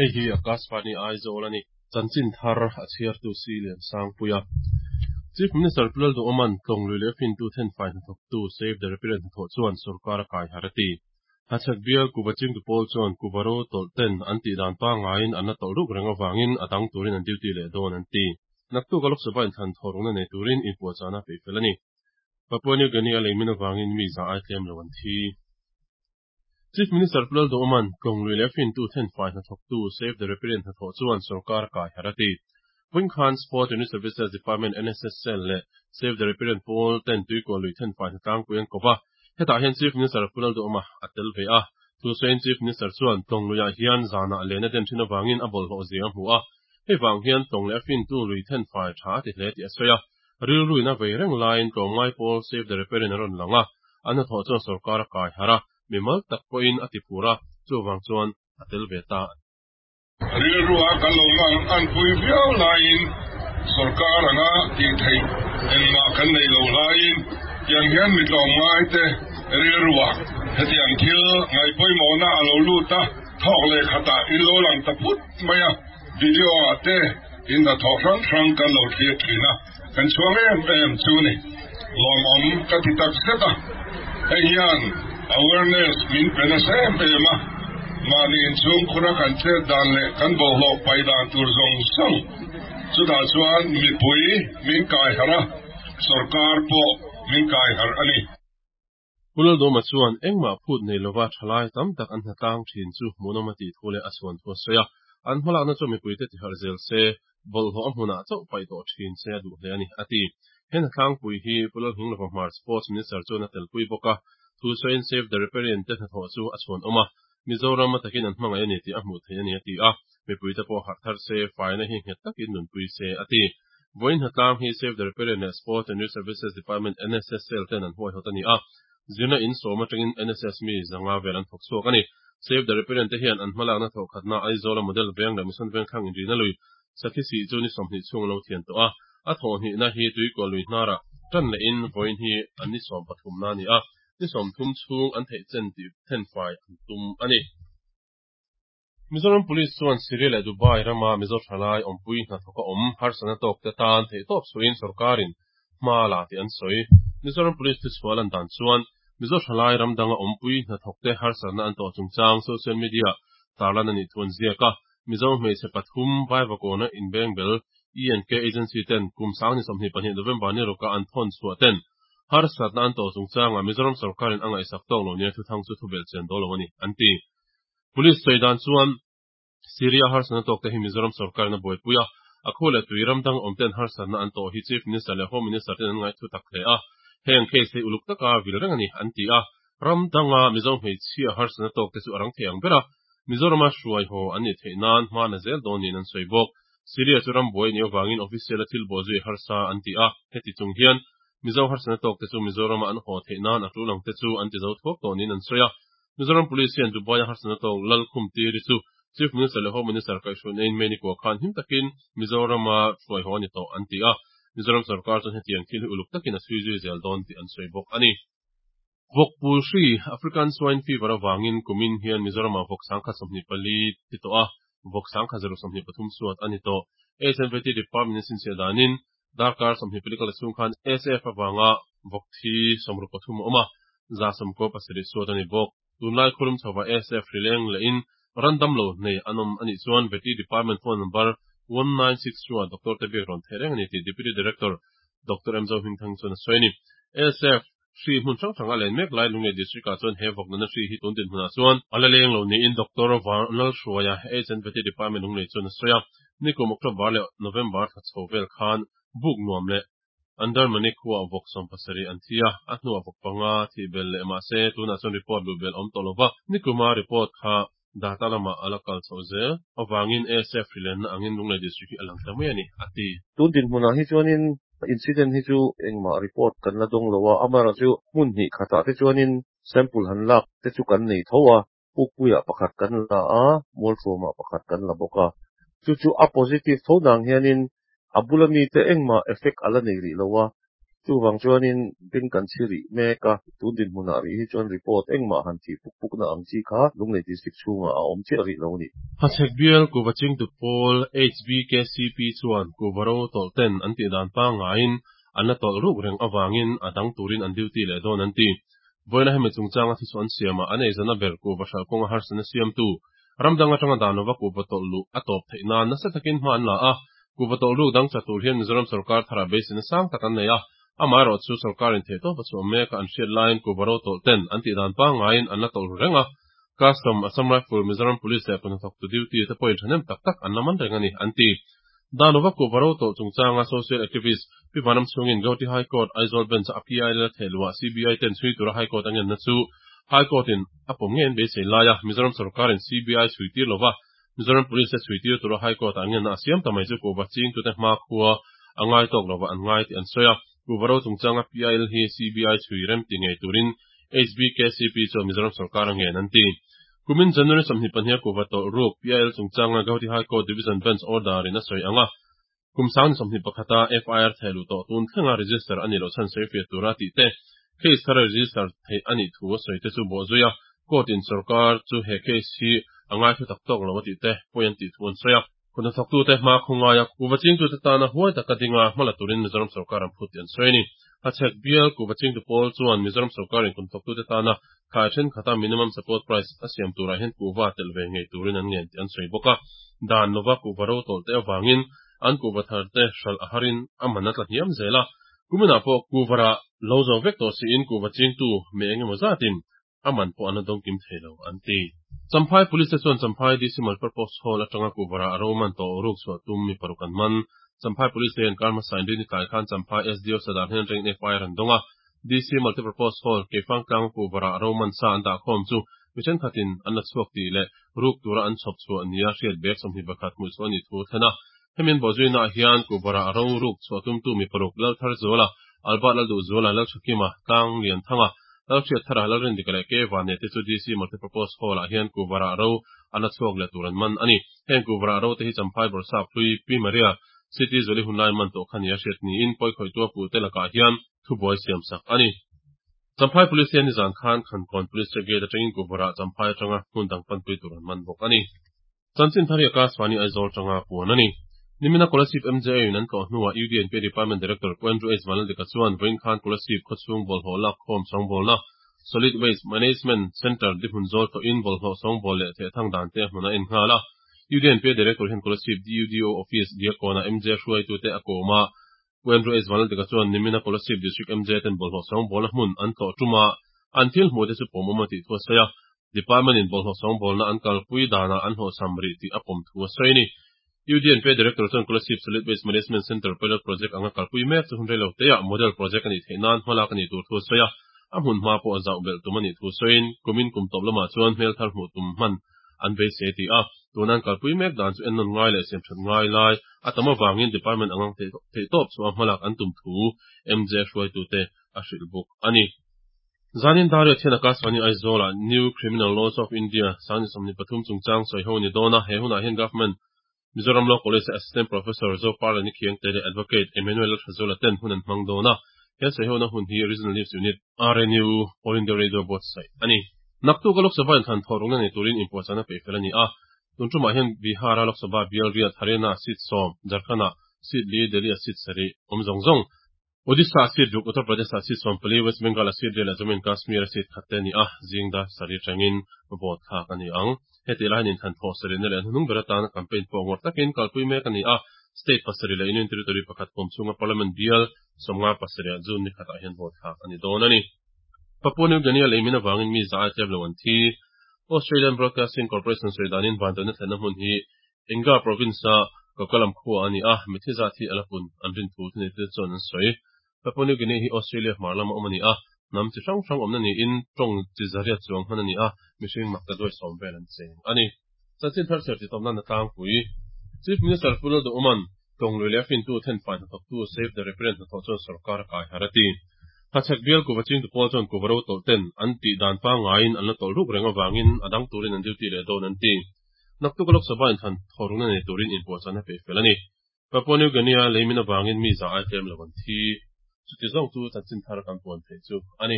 Hei hi Akashvani Aizawl a ni. Chanchin thar a chhiartu si Liansangpuia. Chief Minister Pu Lalduhawma'n Tlawng lui leh fintu thenfai hnathawktu Save the Riparian hnathawh chuan sorkar a kai har a ti. Hachhek bial Kuva chingtu pawl chuan Kuva ro tawlh ten an tih dan pangaiin an la tawlh ruk reng avangin a dang turin an duty leh dawn an ti. Naktuk a Lok Sabha inthlan thawhrukna nei turin inpuahchahna a peih fel a ni. Papua New Guinea a leimin avangin mi za ai tlem lo an thi. Chief Minister Pu Lalduhawma'n Tlawng lui leh fintu thenfai hnathawktu Save the Riparian hnathawh chuan sorkar a kai harh a ti. Vawiin khan Sport Unit Services Department NSS Cell leh Save the Riparian pawl ten tuikual lui thenfai hnatlangpui an kawp a. Hetah hian Chief Minister Pu Lalduhawma a tel ve a. Thusawiin Chief Minister chuan Tlawng luiah hian zanah len a den thin avangin a bawlhhlawh zia a hmu a. Hei vang hian Tlawng leh a fintu lui thenfai tha a ti hle tih a sawi a. Rilruin a vei reng laiin tlawmngai pawl Save the Riparian a rawn lang a, an hnathawh chuan sorkar a kai harh a, mimal tak pawhin a ti phur a, chuvang chuan a tel ve ta. Rilrua kan lo ngang anpui viau laiin sorkar anga tih theih engmah kan nei lo laiin tiang hian mi tlawmngai te rilrua hetiang thil ngaihpawimawhna a lo lut a, thawk leh khatah in lo lang ta phut mai a, video ah te in hnathawh hrang hrang kan lo thlir thin a, kan chhuang em em chu ni. Lawmawm ka ti tak zet a, hei hian awareness min pe nasa em em a, mahni inchhungkhura kan chet dan leh kan bawlhhlawh paih dan tur zawng zawng chutah chuan mipui min kai harh a, sorkar pawh min kai harh a ni. Pu Laldawma chuan engmah phut nei lova thalai tam tak an hnatlang thin chu hmuhnawm a tih thu leh a chhuan thu a sawi a. An hmalakna chu mipuite tiharh zel se, bawlhhlawh a hmunah chauh paih tawh thin se a duh hle a ni, a ti. He hnatlangpui hi Pu Lalhminglova Hmar Sports Minister chuan a telpui bawk a, thu sawiin Save the Riparian te hnathawh chu a chhuan awm a, Mizoram a takin an hmangaih a ni tih a hmuh theih a ni, a ti a. Mipuite pawh harh thar se, faina hi nghet takin nunpui se, a ti. Vawiin hnatlang hi Save the Riparian leh Sport and Youth Services Department, NSSL, ten an huaihawt a ni a. Zirna in sawm atangin NSS mi zanga vel an thawk chhuak a ni. Save the Riparian te hian an hmalakna thawhkhatna Aizawla Model Veng leh Mission Vengthlang inrina lui Sakhi sih chu ni 20 chhung a lo thian tawh a. A thawhhnihna hi Tuikual lui hnarah tan lehin vawiin hi an ni 13 na a ni a. Ni 30 chhung an theih chen tih thenfai an tum a ni. Mizoram Police chuan Syria leh Dubai rama Mizo thalai awmpui hnathawk a awm harsatna tawk te tan theihtawp suiin sorkarin hma la tih an sawi. Mizoram Police thuchhuah lan dan chuan Mizo thalai ram danga awmpui hnathawk te harsatna an tawh chungchang social media tarlan a nih thu an ziak a. Mizo hmeichhe pathum Vaivakawna inbengbel E&K Agency ten kum sang ni 22 November ni rawka an thawn chhuah ten harsatna an tawh chungchangah Mizoram sorkarin a ngaihsak tawk lo nia thuthang chu thubelh chian dawl lo a ni, an ti. Police sawi dan chuan Syria harsatna tawk te hi Mizoram sorkarin a buaipui a, a khu leh tui ram dang awm ten harsatna an tawh hi Chief Minister leh Home Minister ten an ngaihthu tak hle a, heng case hi uluk taka vil reng a ni, an ti a. Ram danga Mizo hmeichhia harsatna tawk te chu a rang thei ang ber a, Mizorama hruai haw an nih theih nan hma na zel dawn niin an sawi bawk. Syria chu ram buai a nih avangin official a thil bawhzui harsa an ti a, heti chung hian Mizo harsatna tawk te chu Mizorama an haw theih nan a tul ang te chu an ti zo thuak tawh niin an sawi a. Mizoram Police hian Dubai-a harsatna tawk Lalkhum Tiri chu Chief Minister leh Home Minister kaihhruaina in May ni kua khan him takin Mizorama hruai haw a ni tawh an ti a. Mizoram sorkar chuan hetiang thil hi uluk takin a chhui zui zel dawn tih an sawi bawk a ni. Vawkpul hri, African Swine Fever, avangin kumin hian Mizoramah vawk 1024 ti tawh a, vawk 1023 suat a ni tawh. HNVT Department in sinchhiah danin darkar 24 kal chhung khan SF avanga vawk thi 63 a awm a, 97 suat a ni bawk. Tunlai khawlum chhovah SF hri leng lehin ran damlo nei an awm a nih chuan Vety Department phone number 1962 ah doctor te biak rawn theih reng a ni tih Deputy Director Doctor M Zohmingthang chuan a sawi a ni. SF Hri hmun hrang hrang a len mek lai Lunglei District ah chuan he vawk nana hri hi tun dinhmunah chuan a la leng lo niin Doctor Vanlalhruaia HNVT Department Lunglei chuan a sawi a. Nikum October leh November thla chho vel khan buk nuam leh Andarmani khuaah vawk 17 an thi a, a hnuah vawk panga thih belh leh mahse tunah chuan report luh belh a awm tawh lo va, nikuma report kha data lamah a la kal chhoh zel avangin ASF hri lenna angin Lunglei District hi a lang ta mai a ni, a ti. Tun dinhmunah hi chuanin incident hi chu engmah report kan la dawng lo a, amaherawhchu hmun hnih khatah te chuanin sample han lak te chu kan nei tho a, Pukpuiah pakhat kan la a, Mualthuamah pakhat kan la bawk a. Chu chu a positive tho nang hianin a bula mite engmah effect a la nei rih lo a. Chuvang chuanin beng kan chhi rih mek a, tun dinhmunah rih hi chuan report engmah han thih puk pukna ang chi kha Lunglei District chhungah a awm chiah rih lo a ni. Hachhek bial kuhva chingtu pawl HBKCP chuan kuhva ro tawlh ten an tih dan pangngaiin an la tawlh ruk reng avangin a dang turin an duty leh dawn an ti. Vawiina hemi chungchanga thuchhuah an siamah an eizawnna ber kuhva hralh kawnga harsatna siamtu ram dang atanga dan lova kuhva tawlh luh a tawp theih nan nasa takin hma an la a, kuhva tawlh ruk dang chat tur hian Mizoram sorkar tharah beiseina sang tak an nei a, amaherawh chu sorkarin theihtawp a chhuah mek a an hriat laiin kuhva ro tawlh ten an tih dan pangngaiin an la tawlh ru reng a, Custom, Assam Rifle, Mizoram Police leh Kuhnathawktu duty te pawhin thahnem tak tak an la man reng a ni, an ti. Dan lova kuhva ro tawlh chungchanga social activist Pi Vanram chhungin Gauhati High Court, Aizawl Bench a PIL a theh luhah CBI ten chhui tura High Court a ngenna chu High Court in a pawm ngei an beisei laia Mizoram sorkarin CBI chhui tir lova Mizoram Police te chhui tir tura High Court ah ngenna a siam ta mai chu kuhva chingtute hma khua a ngai tawk lova an ngai tih an sawi a. Kuhva ro chungchanga PIL hi CBI chhui rem ti ngei turin HBKCP chuan Mizoram sorkar a ngen an ti. Kumin January 22 a kuhva tawlh ruk PIL chungchanga Gauhati High Court Division Bench order in a sawi ang a, kum sang ni 21 a FIR theh luh tawh tun thlenga register a nih loh chhan sawi fiah tura tih te, case thara register theih a nih thu a sawi te chu bawh zui a, court in sorkar chu he case hi a ngaithla tak tawk lo a tih te pawi an tih thu an sawi a. Kut hnathawktute hma khawngaia kuhva chingtute tana huai taka dinga hmala turin Mizoram sorkar an phut tih an sawi a ni. Hachhek bial kuhva chingtu pawl chuan Mizoram sorkarin kut hnathawktute tana thlai thenkhat a minimum support price a siam turah hian kuhva telh ve ngei turin an ngen tih an sawi bawk a. Dan lova kuhva ro tawlh te avangin an kuhva thar te hralh a harin a man a tla hniam zel a. Kuminah pawh kuhva rah lo zo vek tawh siin kuhva chingtu mi engemaw zatin a man pawh an la dawngkim thei lo, an ti. Champhai Police te chuan Champhai DC Multipurpose Hall atanga kuhvara a ro man tawh ruk chhuah tum mi paruk an man. Champhai Police te hian kar hmasa inrin tlai khan Champhai SDO Sadar hnen atangin FIR an dawng a. DC Multipurpose Hall, Keifangtlang kuhvara a ro man sa an dah khawm chu mi thenkhatin an la chhuak tih leh ruk tura an chhawp chhuah nia hriat bag 21 hmuh chhuah a nih thu a thlen a. Hemi an bawhzuina ah hian kuhvara a ro ruk chhuah tumtu mi paruk Laltharzuala, Albert Lalduhzuala, Lalthakima, Tlang Lianthanga, Lalhriatthara, Lalrindika leh Kei Vane te chu DC Multipurpose Hall-ah hian Kuhvarah ro an la chhuak leh tur an man a ni. Heng Kuhvarah ro te hi Champhai Bawrhsap hlui Pi Maria City Zuali hunlai man tawh kha nia hriat niin pawikhawihtu a puhte lakah hian thubuai siam sak a ni. Champhai Police hian nizan khan Khankawn Police Check Gate atangin Kuhvarah Champhai atanga hmun dang panpui tur an man bawk a ni. Chanchin thar hi Akashvani Aizawl tanga puan a ni. Nimina Kolasib MJA in an tlawh hnuah UDNP Department Director Pu Andrew H. Vanlaldika chuan vawiin khan Kolasib khawchhung bawlhhlawh lak khawm sawngbawlna, Solid Waste Management Centre, dihmun zawl tlawhin bawlhhlawh sawngbawl leh thehthang dan te a hmun a en nghal a. UDNP Director hian Kolasib DUDO Office Diakkawnah MJA hruaitute a kawm a. Pu Andrew H. Vanlaldika chuan nimina Kolasib District MJA ten bawlhhlawh sawngbawlna hmun an tlawh tum a, an thil hmuh te chu pawmawm a tih thu a sawi a. Department in bawlhhlawh sawngbawlna an kalpui danah an hlawhchham rih tih a pawm thu a sawi a ni. UDNP Director chuan Kolasib Solid Waste Management Centre Pilot Project anga kalpui mek chu hun rei lo teah Model Project a nih theih nan hmalak a nih tur thu a sawi a, a hmun hma pawh a zauh belh tum a nih thu sawiin kumin kum tawp lamah chuan hmel thar hmuh tum hman an beisei a ti a. Tuna an kalpui mek dan chu ennawn ngai leh siamthat ngai lai a tam avangin Department anga theihtawp chhuah hmalak an tum thu MJ hruaitute a hrilh bawk a ni. Zanin Daria thian Akashvani Aizawl-ah New Criminal Laws of India sangni 23 chungchang sawi ho a ni dawn a, he hunah hian Government Mizoram Law College-a Assistant Professor Zoparlani Khiangte leh Advocate Emmanuel Lalthazuala ten hun an hmang dawn a, he sawihona hun hi Regional News Unit, RNU, All India Radio buatsaih a ni. Naktuk a Lok Sabha inthlan thawh rukna nei turin inpuahchahna peih fel a ni a, tun tumah hian Bihar-a Lok Sabha bial riat Haryana-ah seat sawm, Jharkhand-ah seat li, Delhi-ah seat sarih awm zawng zawng. Odisha seat ruk, Uttar Pradesh ah seat 14, West Bengal ah seat riat leh Jammu and Kashmir a seat khat te a ni a, zing dar sarih atangin vote thlak a ni ang. Heti lai hian inthlan thawh sarihna leh hnuhnung ber atana campaign pawh ngawrh takin kalpui mek a ni a, state pasarih leh union territory pakhat huam chhunga parliament bial 57 ah June ni khatah hian vote thlak a ni dawn a ni. Papua New Guinea lei min avangin mi za ai tlem lo an thi. Australian Broadcasting Corporation sawi danin vanduaina thlenna hmun hi Enga province-a Kokalam khua a ni a, mitthi zat hi a la pun an rin thu thuneitute chuan an sawi. Papua New Guinea hi Australia hmar lama awm a ni a, hnam chi hrang hrang awmna niin tawng chi zariat chuang hman a ni a, mihring makta duai sawm vel an cheng a ni. Chanchin thar chhiar titawp nan a tlangpui. Chief Minister Pu Lalduhawma'n tawng lui leh a fintu thenfai hnathawktu Save the Riparian hnathawh chuan sorkar a kai har a ti. Hachhek bial kuva chingtu pawl chuan kuva ro tawlh ten an tih dan pangngaiin an la tawlh ruk reng avangin a dang turin an duty leh dawn an ti. Naktuk a Lok Sabha inthlan thawrukna nei turin inpuahchahna peih fel a ni. Papua New Guinea leimin avangin mi za ai tlem lo an thi. Chuti zawng chu chanchin thar kan puan theih chu a ni.